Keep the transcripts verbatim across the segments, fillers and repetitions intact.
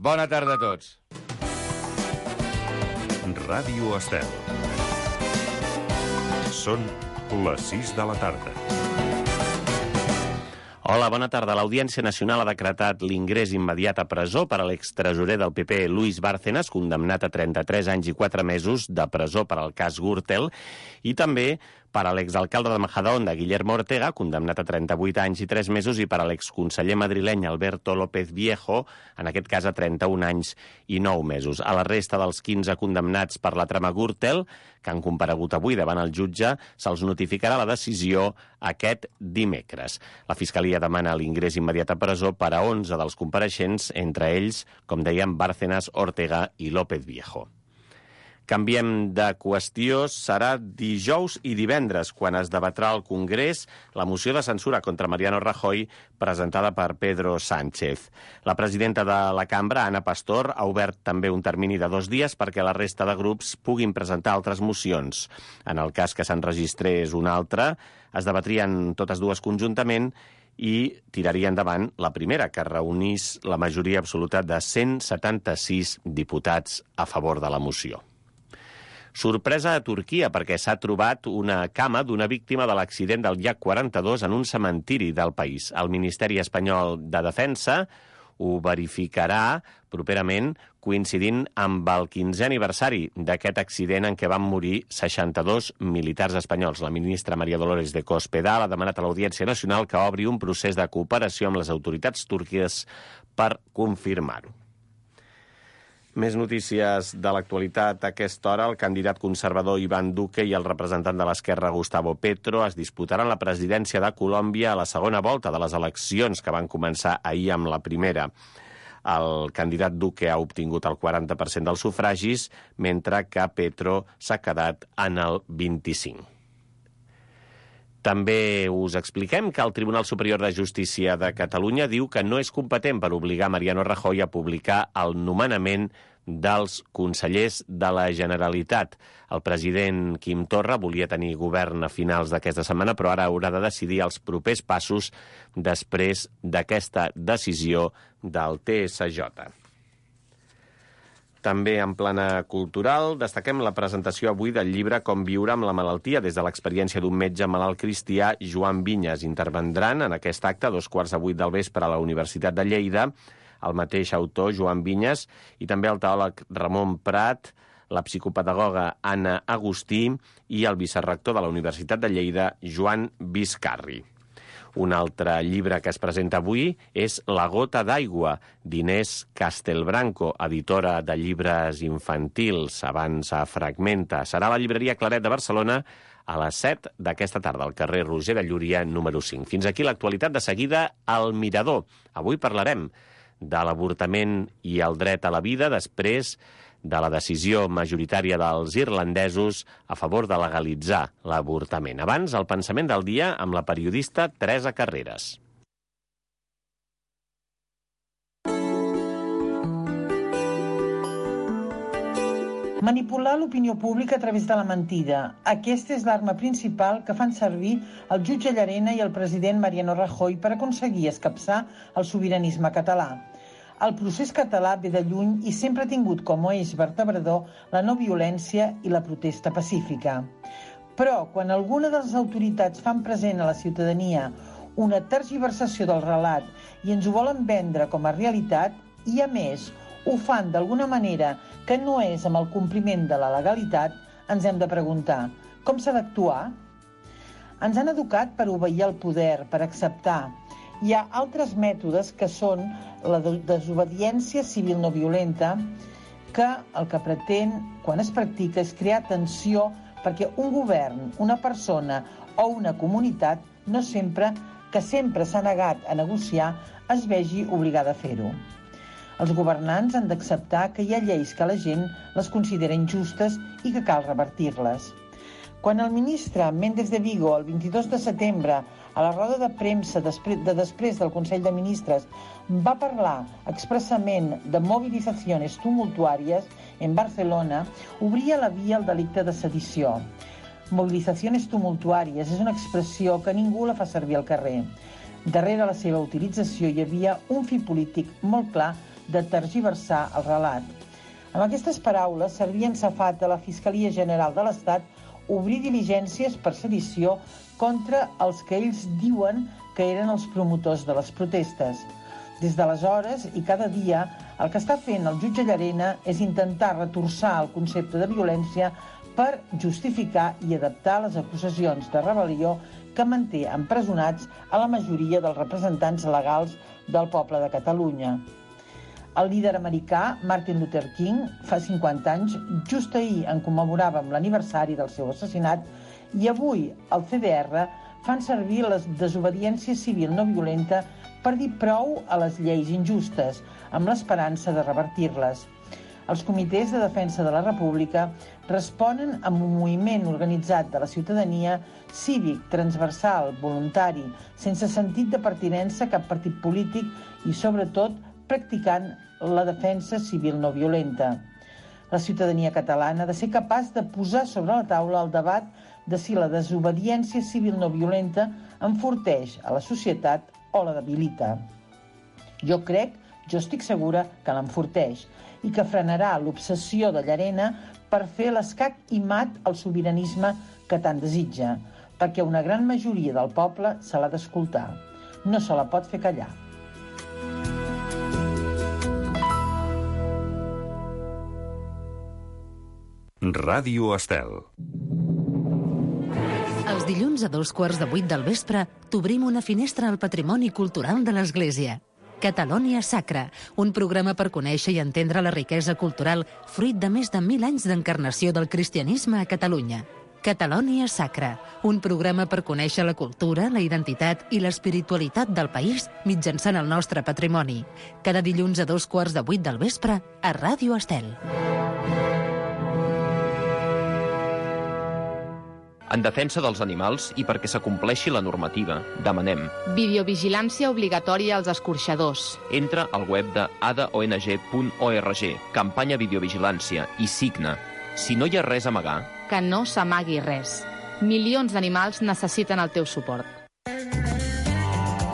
Bona tarda a tots. Ràdio Estel. Són les sis de la tarda. Hola, bona tarda. L'Audiència Nacional ha decretat l'ingrés immediat a presó per a l'extresorer del P P, Luis Bárcenas, condemnat a trenta-tres anys i quatre mesos de presó per al cas Gürtel, i també per a l'exalcalde de Majadahonda, Guillermo Ortega, condemnat a trenta-vuit anys i tres mesos, i per a l'exconseller madrileny Alberto López Viejo, en aquest cas a trenta-un anys i nou mesos. A la resta dels quinze condemnats per la trama Gürtel, que han comparegut avui davant el jutge, se'ls notificarà la decisió aquest dimecres. La Fiscalia demana l'ingrés immediat a presó per a onze dels compareixents, entre ells, com dèiem, Bárcenas, Ortega i López Viejo. Canviem de qüestió. Serà dijous i divendres quan es debatrà al Congrés la moció de censura contra Mariano Rajoy presentada per Pedro Sánchez. La presidenta de la cambra, Ana Pastor, ha obert també un termini de dos dies perquè la resta de grups puguin presentar altres mocions. En el cas que s'enregistrés una altra, es debatrien totes dues conjuntament i tiraria endavant la primera, que reunís la majoria absoluta de cent setanta-sis diputats a favor de la moció. Sorpresa a Turquia perquè s'ha trobat una cama d'una víctima de l'accident del llac quaranta-dos en un cementiri del país. El Ministeri Espanyol de Defensa ho verificarà properament coincidint amb el quinzè aniversari d'aquest accident en què van morir seixanta-dos militars espanyols. La ministra María Dolores de Cospedal ha demanat a l'Audiència Nacional que obri un procés de cooperació amb les autoritats turques per confirmar-ho. Més notícies de l'actualitat a aquesta hora. El candidat conservador Iván Duque i el representant de l'esquerra Gustavo Petro es disputaran la presidència de Colòmbia a la segona volta de les eleccions que van començar ahir amb la primera. El candidat Duque ha obtingut el quaranta per cent dels sufragis, mentre que Petro s'ha quedat en el vint-i-cinc per cent. També us expliquem que el Tribunal Superior de Justícia de Catalunya diu que no és competent per obligar Mariano Rajoy a publicar el nomenament dels consellers de la Generalitat. El president Quim Torra volia tenir govern a finals d'aquesta setmana, però ara haurà de decidir els propers passos després d'aquesta decisió del T S J. També en plana cultural destaquem la presentació avui del llibre Com viure amb la malaltia, des de l'experiència d'un metge malalt cristià, Joan Vinyes. Intervendran en aquest acte a dos quarts de vuit del vespre a la Universitat de Lleida el mateix autor, Joan Vinyes, i també el teòleg Ramon Prat, la psicopedagoga Anna Agustí i el vicerrector de la Universitat de Lleida, Joan Vizcarri. Un altre llibre que es presenta avui és La gota d'aigua, d'Inés Castelbranco, editora de llibres infantils, abans a Fragmenta. Serà a la llibreria Claret de Barcelona a les set d'aquesta tarda, al carrer Roger de Llúria, número cinc. Fins aquí l'actualitat. De seguida, El Mirador. Avui parlarem de l'avortament i el dret a la vida després de la decisió majoritària dels irlandesos a favor de legalitzar l'avortament. Abans, el pensament del dia amb la periodista Teresa Carreras. Manipular l'opinió pública a través de la mentida. Aquesta és l'arma principal que fan servir el jutge Llarena i el president Mariano Rajoy per aconseguir escapçar el sobiranisme català. El procés català ve de lluny i sempre ha tingut com a eix vertebrador la no violència i la protesta pacífica. Però, quan alguna de les autoritats fan present a la ciutadania una tergiversació del relat i ens ho volen vendre com a realitat, i a més ho fan d'alguna manera que no és amb el compliment de la legalitat, ens hem de preguntar: com s'ha d'actuar? Ens han educat per obeir al poder, per acceptar. Hi ha altres mètodes que són la desobediència civil no violenta, que el que pretén, quan es practica, és crear tensió perquè un govern, una persona o una comunitat no sempre, que sempre s'ha negat a negociar, es vegi obligada a fer-ho. Els governants han d'acceptar que hi ha lleis que la gent les considera injustes i que cal revertir-les. Quan el ministre Méndez de Vigo, el vint-i-dos de setembre, a la roda de premsa de després del Consell de Ministres, va parlar expressament de mobilitzacions tumultuàries en Barcelona, obria la via al delicte de sedició. Mobilitzacions tumultuàries és una expressió que ningú la fa servir al carrer. Darrere la seva utilització hi havia un fi polític molt clar de tergiversar el relat. Amb aquestes paraules servia safata a la Fiscalia General de l'Estat obrir diligències per sedició contra els que ells diuen que eren els promotors de les protestes. Des d'aleshores i cada dia, el que està fent el jutge Llarena és intentar retorçar el concepte de violència per justificar i adaptar les acusacions de rebel·lió que manté empresonats a la majoria dels representants legals del poble de Catalunya. El líder americà, Martin Luther King, fa cinquanta anys, just ahir en commemoràvem l'aniversari del seu assassinat i avui el C D R fan servir la desobediència civil no violenta per dir prou a les lleis injustes, amb l'esperança de revertir-les. Els comitès de defensa de la República responen amb un moviment organitzat de la ciutadania, cívic, transversal, voluntari, sense sentit de pertinença a cap partit polític i, sobretot, practicant la defensa civil no violenta. La ciutadania catalana ha de ser capaç de posar sobre la taula el debat de si la desobediència civil no violenta enforteix a la societat o la debilita. Jo crec, jo estic segura que l'enforteix i que frenarà l'obsessió de Llarena per fer l'escac i mat al sobiranisme que tant desitja, perquè una gran majoria del poble se l'ha d'escoltar. No se la pot fer callar. Ràdio Estel. Els dilluns a dos quarts de vuit del vespre t'obrim una finestra al patrimoni cultural de l'Església. Catalònia Sacra, un programa per conèixer i entendre la riquesa cultural fruit de més de mil anys d'encarnació del cristianisme a Catalunya. Catalònia Sacra, un programa per conèixer la cultura, la identitat i l'espiritualitat del país mitjançant el nostre patrimoni. Cada dilluns a dos quarts de vuit del vespre a Ràdio Estel. En defensa dels animals i perquè s'acompleixi la normativa, demanem videovigilància obligatòria als escorxadors. Entra al web de a d o n g punt org, campanya videovigilància, i signa. Si no hi ha res a amagar... Que no s'amagui res. Milions d'animals necessiten el teu suport.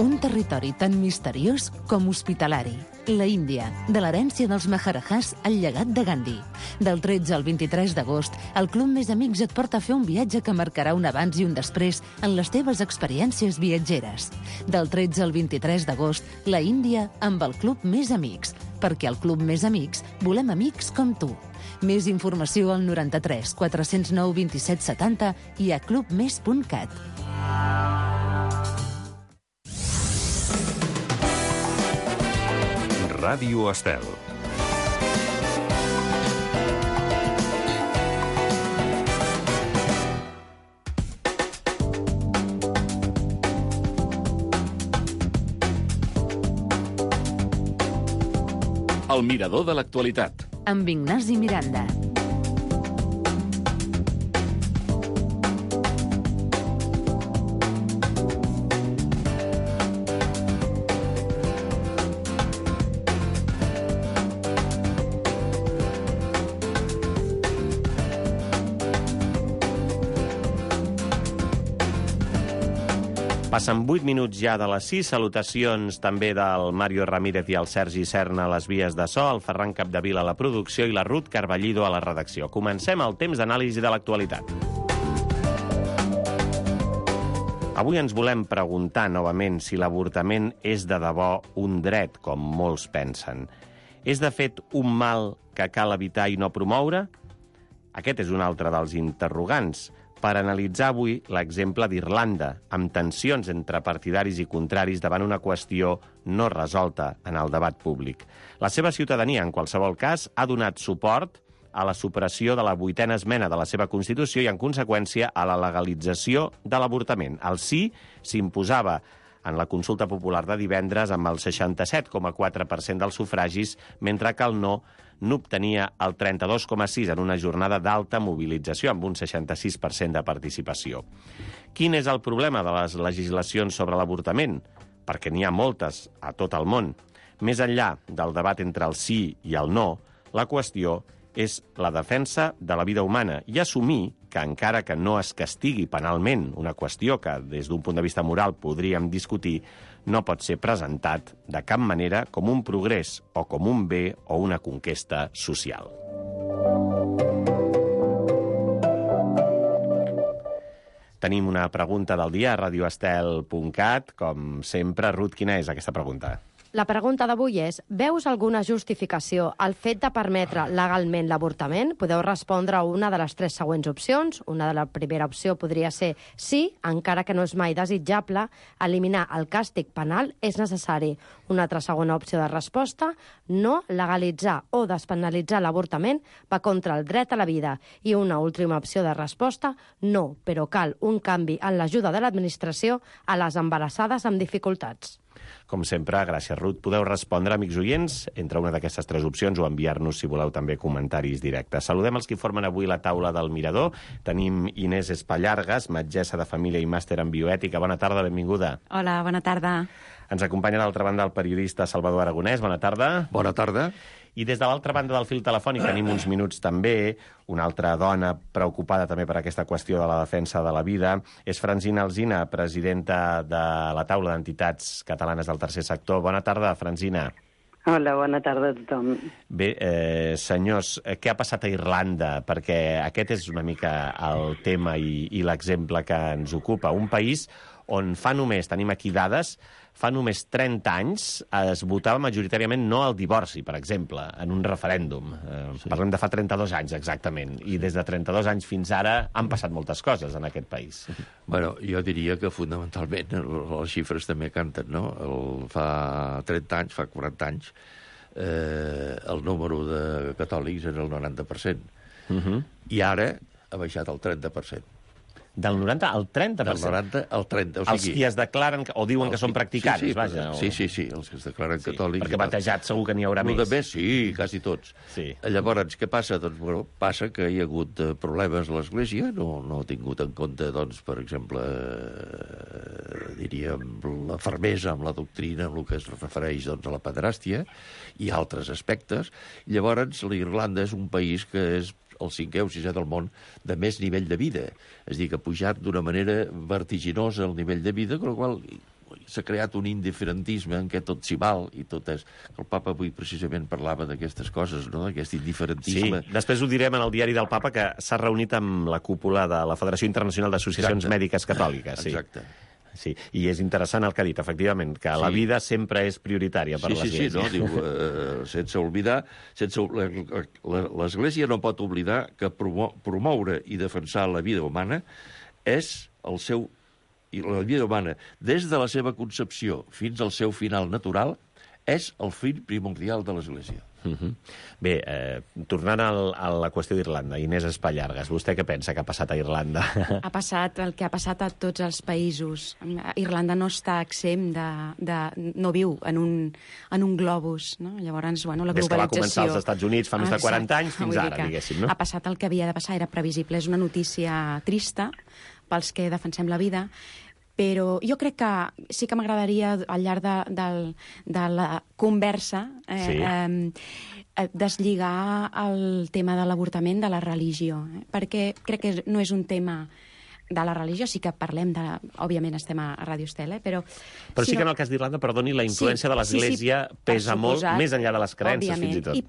Un territori tan misteriós com hospitalari. La Índia, de l'herència dels Maharajahs al llegat de Gandhi. Del tretze al vint-i-tres d'agost, el Club Més Amics et porta a fer un viatge que marcarà un abans i un després en les teves experiències viatgeres. Del tretze al vint-i-tres d'agost, la Índia amb el Club Més Amics. Perquè al Club Més Amics volem amics com tu. Més informació al noranta-tres quatre-cents nou vint-i-set setanta i a club més punt cat. Ràdio Estel. El mirador de l'actualitat. Amb Ignasi Miranda. Passen vuit minuts ja de les sis. Salutacions també del Mario Ramírez i el Sergi Serna a les vies de so, el Ferran Capdevila a la producció i la Ruth Carballido a la redacció. Comencem el temps d'anàlisi de l'actualitat. Avui ens volem preguntar novament si l'avortament és de debò un dret, com molts pensen. És de fet un mal que cal evitar i no promoure? Aquest és un altre dels interrogants. Per analitzar avui l'exemple d'Irlanda, amb tensions entre partidaris i contraris davant una qüestió no resolta en el debat públic. La seva ciutadania, en qualsevol cas, ha donat suport a la supressió de la vuitena esmena de la seva Constitució i, en conseqüència, a la legalització de l'avortament. El sí s'imposava en la consulta popular de divendres amb el seixanta-set coma quatre per cent dels sufragis, mentre que el no n'obtenia el trenta-dos coma sis en una jornada d'alta mobilització, amb un seixanta-sis per cent de participació. Quin és el problema de les legislacions sobre l'avortament? Perquè n'hi ha moltes a tot el món. Més enllà del debat entre el sí i el no, la qüestió és la defensa de la vida humana i assumir que encara que no es castigui penalment, una qüestió que des d'un punt de vista moral podríem discutir, no pot ser presentat de cap manera com un progrés o com un bé o una conquesta social. Tenim una pregunta del dia a radio estel punt cat. Com sempre, Ruth, quina és aquesta pregunta? La pregunta d'avui és: veus alguna justificació al fet de permetre legalment l'avortament? Podeu respondre a una de les tres següents opcions. Una de la primera opció podria ser sí, encara que no és mai desitjable, eliminar el càstig penal és necessari. Una altra segona opció de resposta: no, legalitzar o despenalitzar l'avortament va contra el dret a la vida. I una última opció de resposta: no, però cal un canvi en l'ajuda de l'administració a les embarassades amb dificultats. Com sempre, gràcies, Ruth. Podeu respondre, amics oients, entre una d'aquestes tres opcions o enviar-nos, si voleu, també comentaris directes. Saludem els que formen avui la taula del Mirador. Tenim Inés Espallargas, metgessa de família i màster en bioètica. Bona tarda, benvinguda. Hola, bona tarda. Ens acompanya d'altra banda el periodista Salvador Aragonès. Bona tarda. Bona tarda. I des de l'altra banda del fil telefònic tenim uns minuts també una altra dona preocupada també per aquesta qüestió de la defensa de la vida. És Francina Alsina, presidenta de la taula d'entitats catalanes del tercer sector. Bona tarda, Francina. Hola, bona tarda a tothom. Bé, eh, senyors, què ha passat a Irlanda? Perquè aquest és una mica el tema i, i l'exemple que ens ocupa. Un país on fa només, tenim aquí dades, fa només trenta anys es votava majoritàriament no al divorci, per exemple, en un referèndum. Eh, sí. Parlem de fa trenta-dos anys, exactament. I des de trenta-dos anys fins ara han passat moltes coses en aquest país. Bueno, jo diria que fonamentalment les xifres també canten, no? El, fa trenta anys, fa quaranta anys, eh, el número de catòlics era el noranta per cent. Uh -huh. I ara ha baixat al trenta per cent. Del noranta al trenta per cent? Del noranta al trenta. O sigui, els qui es declaren o diuen que són practicants, sí, sí, vaja. O... Sí, sí, sí, els que es declaren sí, catòlics. Perquè batejats segur que n'hi haurà més. De més, sí, quasi tots. Sí. Llavors, què passa? Doncs, bueno, passa que hi ha hagut problemes a l'Església, no, no ha tingut en compte, doncs, per exemple, eh, diríem, la fermesa amb la doctrina, amb el que es refereix doncs, a la pederàstia, i altres aspectes. Llavors, l'Irlanda és un país que és el cinquè o sisè del món de més nivell de vida. És a dir, que ha pujat d'una manera vertiginosa el nivell de vida, amb la qual s'ha creat un indiferentisme en què tot s'hi val i tot és... El papa avui precisament parlava d'aquestes coses, no?, d'aquest indiferentisme. Sí, després ho direm en el diari del papa, que s'ha reunit amb la cúpula de la Federació Internacional d'Associacions Mèdiques Catòliques. Sí. Exacte. Sí, i és interessant el que ha dit, efectivament, que sí. La vida sempre és prioritària per sí, l'Església. Sí, sí, no? Diu, eh, sense oblidar... Sense, l'Església no pot oblidar que promo, promoure i defensar la vida humana és el seu... I la vida humana, des de la seva concepció fins al seu final natural, és el fill primordial de l'Església. Uh -huh. Bé, eh, tornant al, a la qüestió d'Irlanda, Inés Espallargas, vostè què pensa que ha passat a Irlanda? Ha passat el que ha passat a tots els països. Irlanda no està exempt de... de no viu en un, en un globus, no? Llavors, bueno, la globalització... Des que va començar als Estats Units fa més de quaranta anys fins ara, diguéssim, no? Ha passat el que havia de passar, era previsible. És una notícia trista pels que defensem la vida, però jo crec que sí que m'agradaria, al llarg de, de, de la conversa, eh, sí. eh, deslligar el tema de l'avortament de la religió, eh? Perquè crec que no és un tema de la religió, sí que parlem de... Òbviament estem a Radio Estel, eh? però... Però sí que en el cas d'Irlanda, perdoni, la influència sí, de l'Església sí, sí, pesa molt, més enllà de les creences, òbviament, fins i tot. I,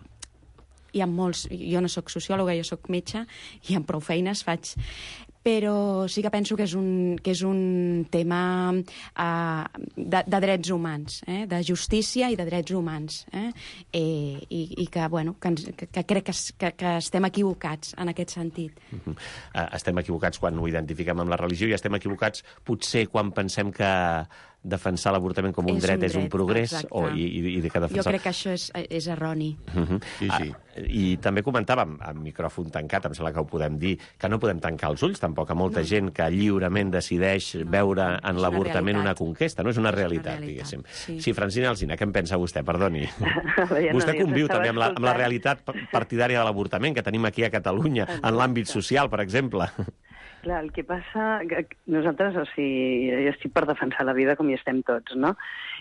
hi ha molts... Jo no sóc sociòloga, jo sóc metge, i amb prou feines faig... Però sí que penso que és un, que és un tema uh, de, de drets humans, eh? De justícia i de drets humans. Eh? Eh, i, I que, bueno, que, ens, que, que crec que, que, que estem equivocats en aquest sentit. Uh-huh. uh, estem equivocats quan ho identifiquem amb la religió i estem equivocats potser quan pensem que defensar l'avortament com un és dret, un dret és un progrés o, i, i, i que defensar... Jo crec que això és, és erroni. Uh-huh. Sí, sí. Ah, i també comentàvem, amb micròfon tancat, em sembla que ho podem dir, que no podem tancar els ulls tampoc a molta no. gent que lliurement decideix no, veure no, en l'avortament una, una conquesta. No és una realitat, una realitat diguéssim. Sí. sí, Francina Alsina, què en pensa vostè? Perdoni. Vostè conviu també amb la, amb la realitat partidària de l'avortament que tenim aquí a Catalunya, en l'àmbit social, per exemple. Clar, el que passa... Que nosaltres, o sigui, jo estic per defensar la vida com hi estem tots, no?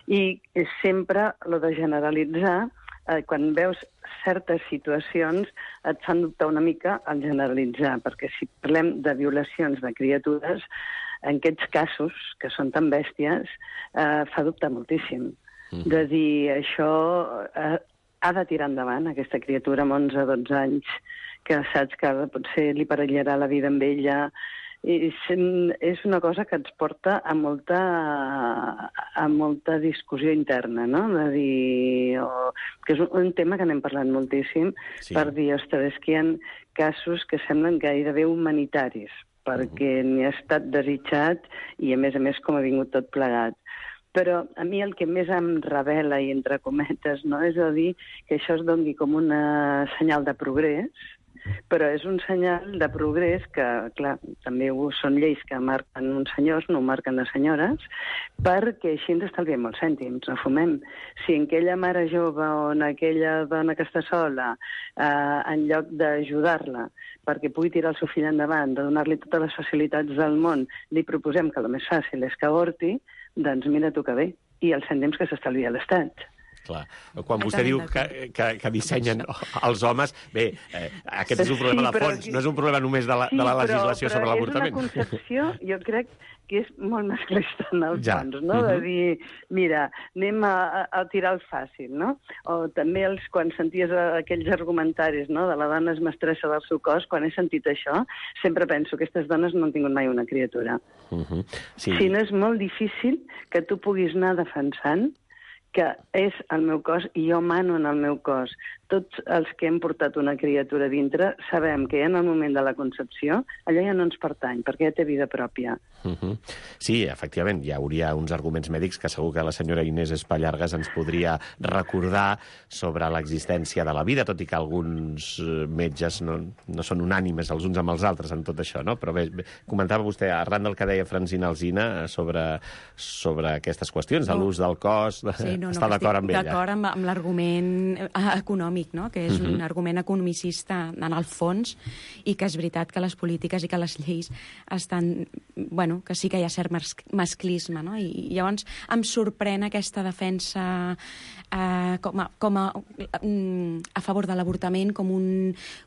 I sempre, lo de generalitzar, eh, quan veus certes situacions et fan dubtar una mica al generalitzar, perquè si parlem de violacions de criatures, en aquests casos, que són tan bèsties, eh, fa dubtar moltíssim. Mm. De dir, això eh, ha de tirar endavant, aquesta criatura amb onze o dotze anys, que saps que potser li perillarà la vida amb ella. I és una cosa que ens porta a molta, a molta discussió interna, no? De dir, o, que és un tema que n'hem parlat moltíssim, sí. Per dir, ostres, és que hi ha casos que semblen gairebé humanitaris, perquè uh-huh. n'hi ha estat desitjat i, a més a més, com ha vingut tot plegat. Però a mi el que més em revela, i entre cometes, no, és a dir que això es doni com una senyal de progrés, però és un senyal de progrés que, clar, també són lleis que marquen uns senyors, no marquen les senyores, perquè així ens estalviem molts cèntims, no fumem. Si en aquella mare jove o en aquella dona que està sola, eh, en lloc d'ajudar-la perquè pugui tirar el seu fill endavant, de donar-li totes les facilitats del món, li proposem que el més fàcil és que avorti, doncs mira tu que bé, i els cèntims que s'estalvia l'Estat. Clar. Quan vostè diu que, que, que dissenyen els homes, bé, eh, aquest és un problema sí, de fons, no és un problema només de la, sí, de la legislació però, però sobre l'avortament. És una concepció, jo crec que és molt masclista en el ja. fons, no? Uh-huh. De dir, mira, anem a, a tirar el fàcil, no? O també els, quan senties aquells argumentaris, no?, de la dona és mestressa del seu cos, quan he sentit això, sempre penso que aquestes dones no han tingut mai una criatura. Uh-huh. Sí. Si no és molt difícil que tu puguis anar defensant que és el meu cos i jo mano en el meu cos. Tots els que hem portat una criatura dintre sabem que ja en el moment de la concepció allò ja no ens pertany, perquè ja té vida pròpia. Uh-huh. Sí, efectivament, hi hauria uns arguments mèdics que segur que la senyora Inés Espallargas ens podria recordar sobre l'existència de la vida, tot i que alguns metges no, no són unànimes els uns amb els altres en tot això, no? Però bé, bé comentava vostè, arran del que deia Francina Alsina sobre, sobre aquestes qüestions, de l'ús del cos, de, sí, no, no, està d'acord amb ella. D'acord amb, amb l'argument econòmic, no? Que és uh-huh. un argument economicista en el fons, i que és veritat que les polítiques i que les lleis estan... Bueno, que sí que hi ha cert masclisme, no? I llavors em sorprèn aquesta defensa eh, com a, com a, a favor de l'avortament com un,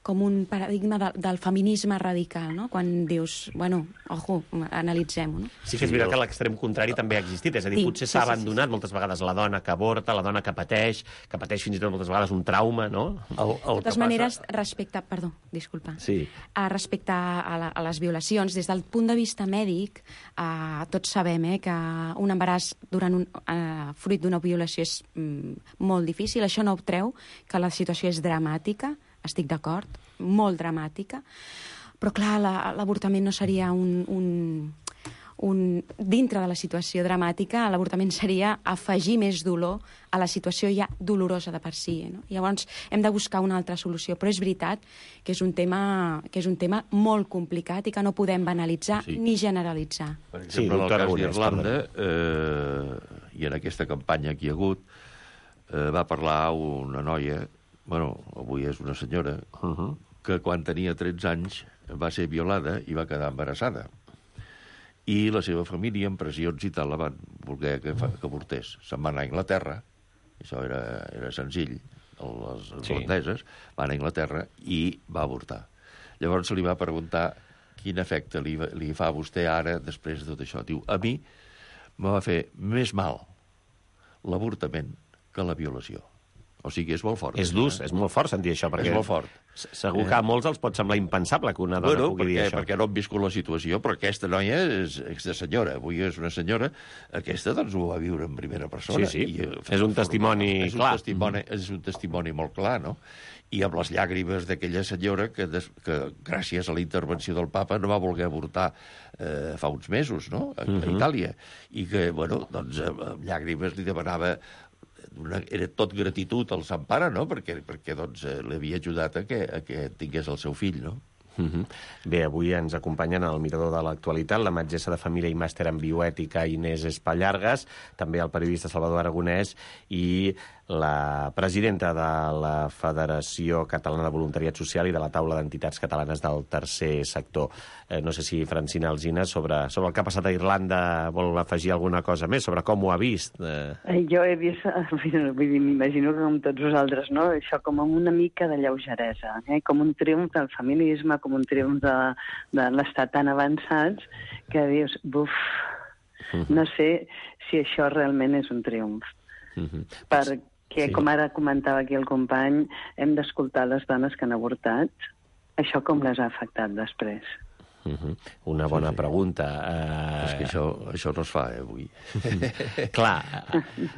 com un paradigma de, del feminisme radical, no? Quan dius, bueno, ojo, analitzem-ho, no? Sí que és veritat que l'extrem contrari també ha existit, és a dir, sí, potser s'ha sí, abandonat sí, sí. moltes vegades la dona que avorta, la dona que pateix, que pateix fins i tot moltes vegades un trauma, no? El, el de totes maneres, passa... respecte... Perdó, disculpa. Sí. Uh, respecte a, la, a les violacions, des del punt de vista mèdic, uh, tots sabem eh, que un embaràs durant un, uh, fruit d'una violació és mm, molt difícil. Això no treu que la situació és dramàtica, estic d'acord, molt dramàtica, però clar, la, l'avortament no seria un... un Un, dintre de la situació dramàtica, l'avortament seria afegir més dolor a la situació ja dolorosa de per si. No? Llavors, hem de buscar una altra solució. Però és veritat que és un tema, que és un tema molt complicat i que no podem banalitzar sí. ni generalitzar. Per exemple, sí, en el cas d'Irlanda, eh, i en aquesta campanya que hi ha hagut, eh, va parlar una noia, bueno, avui és una senyora, uh-huh. que quan tenia tretze anys va ser violada i va quedar embarassada. I la seva família, amb pressions i tal, la van voler que, que avortés. Se'n va anar a Anglaterra, això era, era senzill, les irlandeses, sí. van a Anglaterra i va avortar. Llavors se li va preguntar quin efecte li, li fa a vostè ara després de tot això. Diu, a mi me va fer més mal l'avortament que la violació. O sigui, és molt fort. És dur, és molt fort sentir això, perquè... És molt fort. Segur que a molts els pot semblar impensable que una dona bueno, pugui perquè, dir això. perquè no han viscut la situació, però aquesta noia és, és de senyora. Avui és una senyora, aquesta doncs ho va viure en primera persona. Sí, sí, I, és un testimoni és un clar. Testimoni, és un testimoni molt clar, no? I amb les llàgrimes d'aquella senyora que, des, que gràcies a la intervenció del papa no va voler avortar eh, fa uns mesos, no?, a, uh-huh. a Itàlia. I que, bueno, doncs amb llàgrimes li demanava... Una, era tot gratitud al Sant Pare, no?, perquè, perquè doncs, eh, l'havia ajudat a que, a que tingués el seu fill, no? Uh-huh. Bé, avui ens acompanyen al Mirador de l'Actualitat la metgessa de família i màster en bioètica Inés Espallargas, també el periodista Salvador Aragonès i la presidenta de la Federació Catalana de Voluntariat Social i de la Taula d'Entitats Catalanes del Tercer Sector. Eh, no sé si Francina Alsina, sobre, sobre el que ha passat a Irlanda, vol afegir alguna cosa més, sobre com ho ha vist. Eh... Jo he vist, m'imagino que com tots vosaltres, no? Això com amb una mica de lleugeresa, eh? Com un triomf del feminisme, com un triomf de, de l'estat tan avançats, que dius, buf, uh-huh. no sé si això realment és un triomf. Uh-huh. Perquè, sí. com ara comentava aquí el company, hem d'escoltar les dones que han avortat. Això com les ha afectat després? Uh-huh. Una bona sí, sí. pregunta. Uh... És que això, això no es fa, eh, avui. Clar,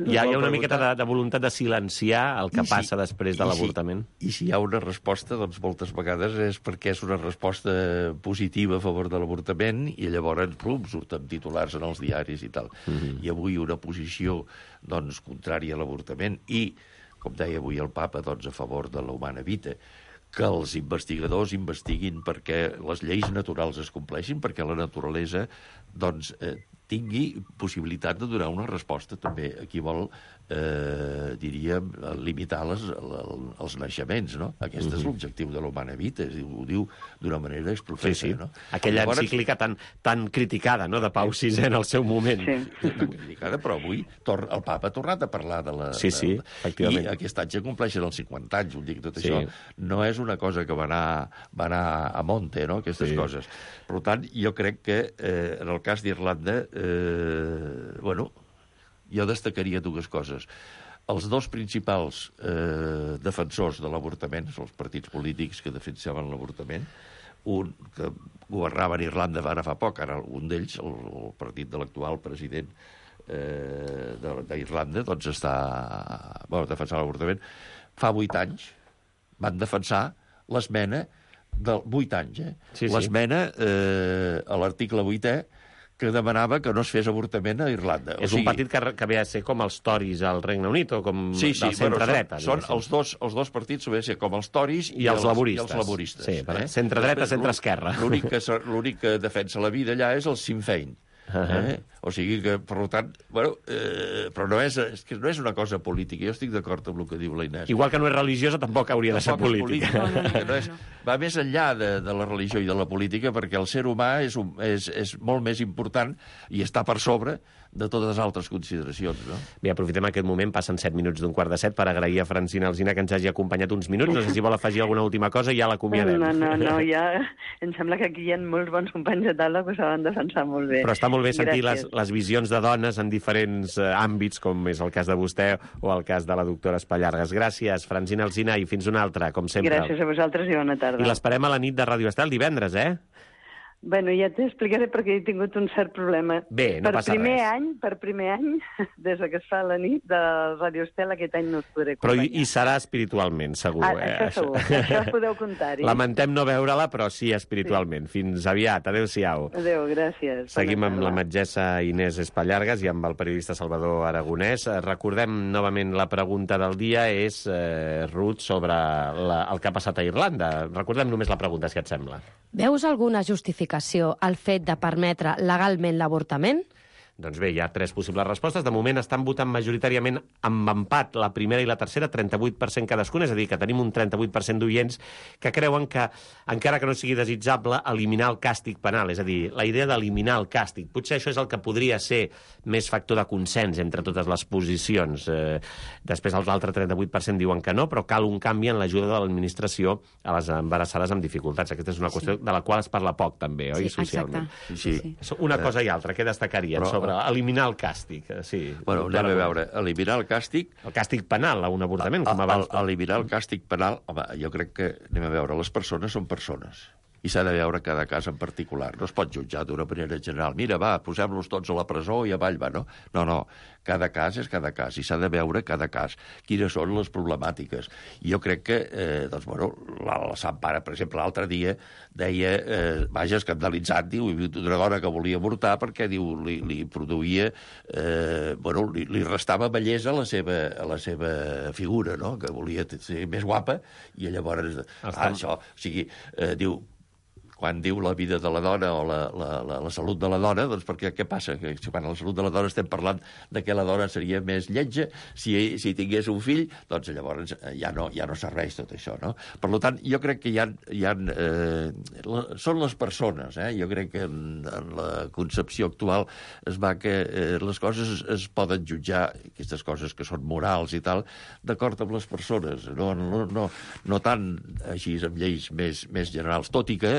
hi ha, hi ha una miqueta de, de voluntat de silenciar el que I passa si, després de l'avortament. Si, I si hi ha una resposta, doncs moltes vegades és perquè és una resposta positiva a favor de l'avortament i llavors, plum, surten titulars en els diaris i tal. Uh-huh. I avui una posició, doncs, contrària a l'avortament i, com deia avui el papa, doncs, a favor de l'humana vita, que els investigadors investiguin perquè les lleis naturals es compleixin, perquè la naturalesa doncs, eh, tingui possibilitat de donar una resposta també a qui vol, eh, diríem, limitar les, els naixements, no? Aquest uh-huh. és l'objectiu de l'humana vita, ho diu d'una manera exprofessa, sí, sí. no? Aquella llavors... encíclica tan, tan criticada, no?, de Pau sisè en el seu moment. Sí. Tan criticada, però avui tor el papa ha tornat a parlar de la... Sí, sí, efectivament. I aquest any ja compleixen els cinquanta anys, ho dic, tot sí. això. No és una cosa que va anar, va anar a monte, no?, aquestes sí. coses. Per tant, jo crec que eh, en el cas d'Irlanda, eh, bueno, jo destacaria dues coses. Els dos principals eh, defensors de l'avortament, els partits polítics que defensaven l'avortament, un que governava en Irlanda ara fa poc, ara un d'ells, el, el partit de l'actual president eh, d'Irlanda, doncs està bueno, defensant l'avortament. Fa vuit anys van defensar l'esmena de vuit anys, eh? Sí, sí. L'esmena eh, a l'article vuitè que demanava que no es fes avortament a Irlanda. És o sigui, un partit que, que ve a ser com els Tories al Regne Unit o com sí, sí, del centre-dreta. Són, són els, dos, els dos partits ve a ser com els Tories i, i els, els laboristes. I els laboristes sí, eh? Centre-dreta, centre-esquerra. L'únic que, l'únic que defensa la vida allà és el Sinn Féin. Uh-huh. eh? O sigui que, per tant, bueno, eh, però no és, és que no és una cosa política. Jo estic d'acord amb el que diu la Inés. Igual que no és religiosa, tampoc hauria tampoc de ser política. política. No, no, no, no és, va més enllà de, de la religió i de la política, perquè el ser humà és, un, és, és molt més important i està per sobre de totes les altres consideracions, no? Bé, aprofitem aquest moment, passen set minuts d'un quart de set, per agrair a Francina Alsina que ens hagi acompanyat uns minuts. No sé si vol afegir alguna última cosa i ja l'acomiadem. No, no, no, ja em sembla que aquí hi ha molts bons companys de taula que saben defensar molt bé. Però està molt bé sentir les, les visions de dones en diferents eh, àmbits, com és el cas de vostè o el cas de la doctora Espallargas. Gràcies, Francina Alsina, i fins una altra, com sempre. Gràcies a vosaltres i bona tarda. I l'esperem a la nit de Ràdio Estel divendres, eh? Bueno, ja t'explicaré perquè he tingut un cert problema. Bé, no per passa primer res. Any, per primer any, des que es fa la nit de Ràdio Estel, aquest any no us podré acompanyar. Però hi, hi serà espiritualment, segur. Ah, eh? això segur, això podeu comptar-hi. Lamentem no veure-la, però sí espiritualment. Sí. Fins aviat, adéu-siau. Adéu, gràcies. Seguim amb la metgessa Inés Espallargas i amb el periodista Salvador Aragonès. Recordem novament la pregunta del dia, és, eh, Ruth, sobre la, el que ha passat a Irlanda. Recordem només la pregunta, si et sembla. Veus alguna justificació al fet de permetre legalment l'avortament? Doncs bé, hi ha tres possibles respostes. De moment estan votant majoritàriament amb empat la primera i la tercera, trenta-vuit per cent cadascuna, és a dir, que tenim un trenta-vuit per cent d'oients que creuen que, encara que no sigui desitjable, eliminar el càstig penal, és a dir, la idea d'eliminar el càstig. Potser això és el que podria ser més factor de consens entre totes les posicions. Eh, després l'altre trenta-vuit per cent diuen que no, però cal un canvi en l'ajuda de l'administració a les embarassades amb dificultats. Aquesta és una qüestió sí. de la qual es parla poc, també, oi, sí, socialment? Sí, sí. sí. Una cosa i altra, què destacarien però... sobre eliminar el càstig? Sí. Bueno, anem a veure, eliminar el càstig... El càstig penal a un avortament, com abans. El, eliminar el càstig penal, home, jo crec que, anem a veure, les persones són persones. I s'ha de veure cada cas en particular. No es pot jutjar d'una manera general. Mira, va, posem-los tots a la presó i avall va, no? No, no. Cada cas és cada cas i s'ha de veure cada cas quines són les problemàtiques. I jo crec que, eh, doncs, bueno, la, la Sant Pare, per exemple, l'altre dia deia, eh, vaja, escandalitzat, diu, una dona que volia avortar perquè, diu, li, li produïa, eh, bueno, li, li restava bellesa a la seva, a la seva figura, no?, que volia ser més guapa, i llavors, ah, això, o sigui, eh, diu, quan diu la vida de la dona o la, la, la, la salut de la dona, doncs perquè què passa? Que si quan a la salut de la dona estem parlant de que la dona seria més lletja, si, si tingués un fill, doncs llavors ja no, ja no serveix tot això, no? Per tant, jo crec que hi ha... Hi ha eh, la, són les persones, eh? Jo crec que en, en la concepció actual es va que eh, les coses es, es poden jutjar, aquestes coses que són morals i tal, d'acord amb les persones, no, no, no, no tant així amb lleis més, més generals, tot i que,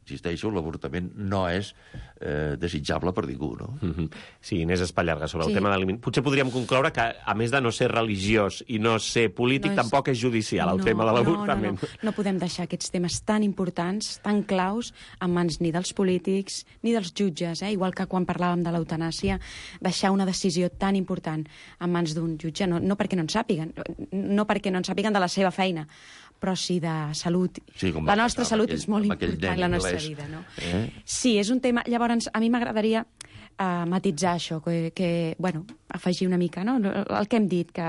insisteixo, l'avortament no és eh, desitjable per ningú, no? Mm-hmm. Sí, Inés Espallarga, sobre el Sí. tema de l'aliment. Potser podríem concloure que, a més de no ser religiós i no ser polític, No és- tampoc és judicial el no, tema de l'avortament. No, no, no. no podem deixar aquests temes tan importants, tan claus, en mans ni dels polítics ni dels jutges, eh? Igual que quan parlàvem de l'eutanàsia, deixar una decisió tan important en mans d'un jutge, no, no perquè no en sàpiguen, no perquè no en sàpiguen de la seva feina, però sí de salut. Sí, com la va nostra passar salut amb aquell- és molt amb aquell important, nen la nostra anglès. vida, no? Eh? Sí, és un tema... Llavors, a mi m'agradaria uh, matitzar això, que, que, bueno, afegir una mica, no? El que hem dit, que,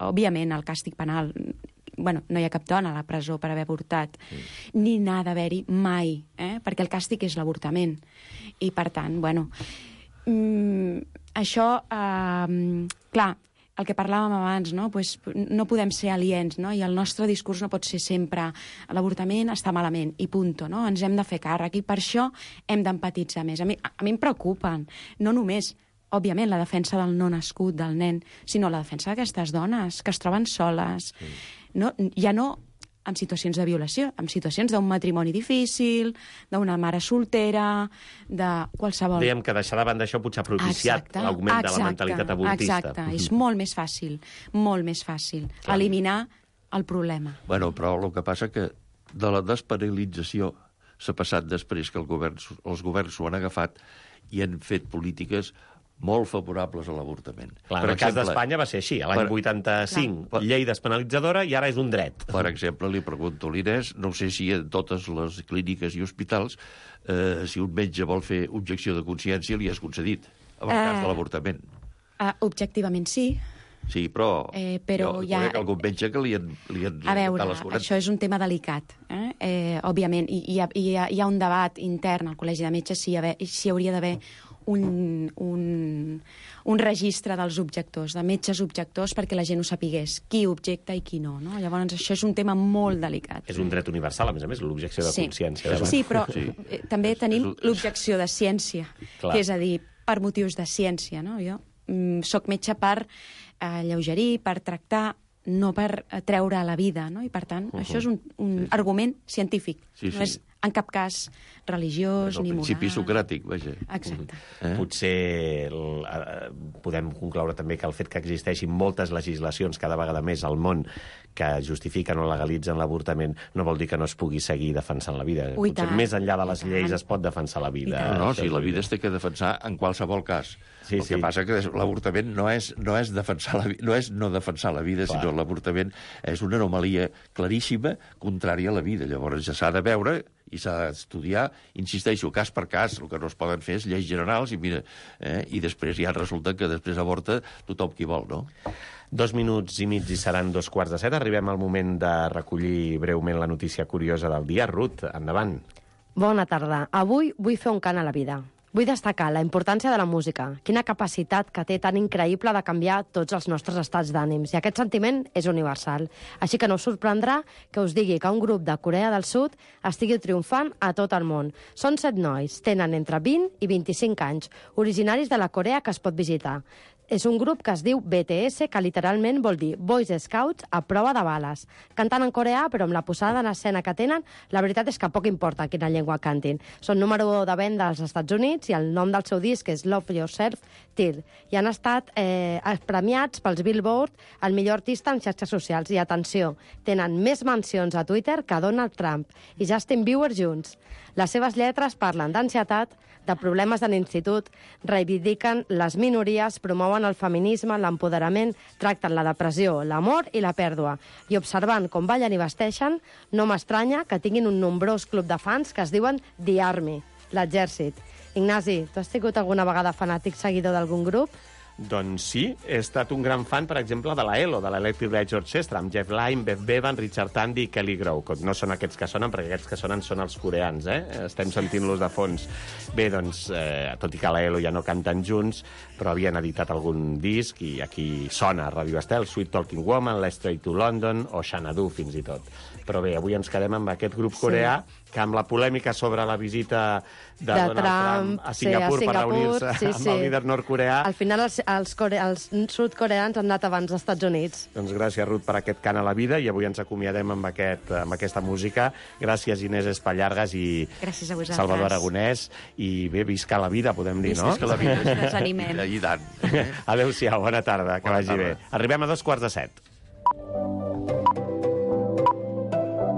òbviament, el càstig penal... Bueno, no hi ha cap dona a la presó per haver avortat, mm. ni n'ha d'haver-hi mai, eh? Perquè el càstig és l'avortament. I, per tant, bueno... Mm, això, uh, clar, el que parlàvem abans, no? Pues no podem ser aliens, no? I el nostre discurs no pot ser sempre l'avortament està malament, i punto, no? Ens hem de fer càrrec, i per això hem d'empatitzar més. A mi, a mi em preocupen, no només, òbviament, la defensa del no nascut, del nen, sinó la defensa d'aquestes dones que es troben soles. Sí. No, ja no en situacions de violació, en situacions d'un matrimoni difícil, d'una mare soltera, de qualsevol... Dèiem que deixar de banda això potser ha propiciat Exacte, l'augment de la exacte, mentalitat abortista. Exacte, és molt més fàcil, molt més fàcil, Clar. eliminar el problema. Bueno, però el que passa que de la despenalització s'ha passat després que el govern, els governs s'ho han agafat i han fet polítiques molt favorables a l'avortament. Clar, en el cas d'Espanya va ser així, a l'any per- vuitanta-cinc, Clar. llei despenalitzadora, i ara és un dret. Per exemple, li pregunto a l'Inés, no sé si en totes les clíniques i hospitals, eh, si un metge vol fer objecció de consciència, li és concedit, en el cas de l'avortament. Uh, objectivament sí. Sí, però, Eh, però jo hi ha- conec algun metge que li han, li han A veure, les quaranta. això és un tema delicat, eh? Eh, òbviament, i hi ha, hi, ha, hi ha un debat intern al Col·legi de Metges si hi, haver, si hi hauria d'haver un, un, un registre dels objectors, de metges objectors, perquè la gent ho sapigués, qui objecta i qui no, no? Llavors, això és un tema molt delicat. És un dret universal, a més a més, l'objecció de Sí. consciència. Sí, però Sí. eh, també tenim l'objecció de ciència, Clar. que és a dir, per motius de ciència, no? Jo mm, soc metge per eh, lleugerir, per tractar, no per eh, treure la vida, no? I per tant, Uh-huh. això és un, un Sí, sí. argument científic, Sí, no sí. és en cap cas religiós És el ni moral. principi socràtic, vaja. Exacte. Eh? Potser el, eh, podem concloure també que el fet que existeixin moltes legislacions cada vegada més al món que justifiquen o legalitzen l'avortament no vol dir que no es pugui seguir defensant la vida. Ui, Potser tant, més enllà de les i lleis tant. es pot defensar la vida. No, no, Això sí, és la veritat. vida es té que defensar en qualsevol cas. Sí, el que sí. passa que l'avortament no és, no és defensar la, vi- no és no defensar la vida, Clar. sinó l'avortament és una anomalia claríssima contrària a la vida. Llavors ja s'ha de veure i s'ha d'estudiar, insisteixo, cas per cas. El que no es poden fer és lleis generals i mira, eh, i després ja resulta que després avorta tothom qui vol, no? Dos minuts i mig i seran dos quarts de set. Arribem al moment de recollir breument la notícia curiosa del dia. Ruth, endavant. Bona tarda. Avui vull fer un cant a la vida. Vull destacar la importància de la música, quina capacitat que té tan increïble de canviar tots els nostres estats d'ànims, i aquest sentiment és universal. Així que no us sorprendrà que us digui que un grup de Corea del Sud estigui triomfant a tot el món. Són set nois, tenen entre vint i vint-i-cinc anys, originaris de la Corea que es pot visitar. És un grup que es diu B T S, que literalment vol dir Boys Scouts a prova de bales. Canten en coreà, però amb la posada en escena que tenen, la veritat és que poc importa quina llengua cantin. Són número u de venda als Estats Units i el nom del seu disc és Love Yourself, Till. I han estat eh, premiats pels Billboard el millor artista en xarxes socials. I atenció, tenen més mencions a Twitter que Donald Trump i Justin Bieber junts. Les seves lletres parlen d'ansietat, de problemes de l'institut, reivindiquen les minories, promouen el feminisme, l'empoderament, tracten la depressió, l'amor i la pèrdua. I observant com ballen i vesteixen, no m'estranya que tinguin un nombrós club de fans que es diuen The Army, l'exèrcit. Ignasi, tu has sigut alguna vegada fanàtic seguidor d'algun grup? Doncs sí, he estat un gran fan, per exemple, de la E L O, de l'Electric Light Orchestra, amb Jeff Lynne, Bev Bevan, Richard Tandy i Kelly Grove. No són aquests que sonen, perquè aquests que sonen són els coreans, eh? Estem sentint-los de fons. Bé, doncs, eh, tot i que la E L O ja no canten junts, però havien editat algun disc i aquí sona a Radio Estel, Sweet Talking Woman, Let's Stray to London o Xanadu, fins i tot. Però bé, avui ens quedem amb aquest grup coreà, sí, que amb la polèmica sobre la visita de, de Donald Trump, Trump a Singapur, sí, a Singapur per reunir-se sí, amb sí. el líder nord-coreà. Al final els, els, core... els sud-coreans han anat abans als Estats Units. Doncs gràcies, Ruth, per aquest cant a la vida, i avui ens acomiadem amb, aquest, amb aquesta música. Gràcies, Inés Espallargas i Salvador Aragonès. I bé, visca la vida, podem dir, no? Visca la vida. Ens animem. I tant. Adéu-siau, bona tarda, que bona vagi tarda. bé. Arribem a dos quarts de set.